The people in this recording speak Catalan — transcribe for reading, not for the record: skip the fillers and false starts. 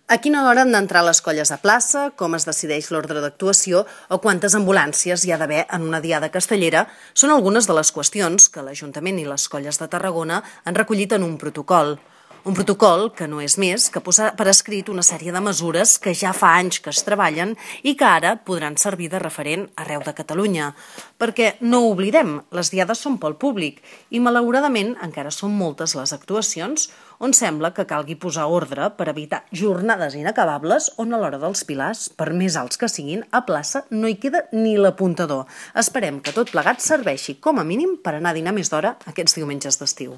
A quina hora han d'entrar les colles a plaça, com es decideix l'ordre d'actuació o quantes ambulàncies hi ha d'haver en una diada castellera són algunes de les qüestions que l'Ajuntament i les colles de Tarragona han recollit en un protocol. Un protocol que no és més que posar per escrit una sèrie de mesures que ja fa anys que es treballen i que ara podran servir de referent arreu de Catalunya. Perquè no ho oblidem, les diades són pel públic i malauradament encara són moltes les actuacions on sembla que calgui posar ordre per evitar jornades inacabables on a l'hora dels pilars, per més alts que siguin, a plaça no hi queda ni l'apuntador. Esperem que tot plegat serveixi com a mínim per anar a dinar més d'hora aquests diumenges d'estiu.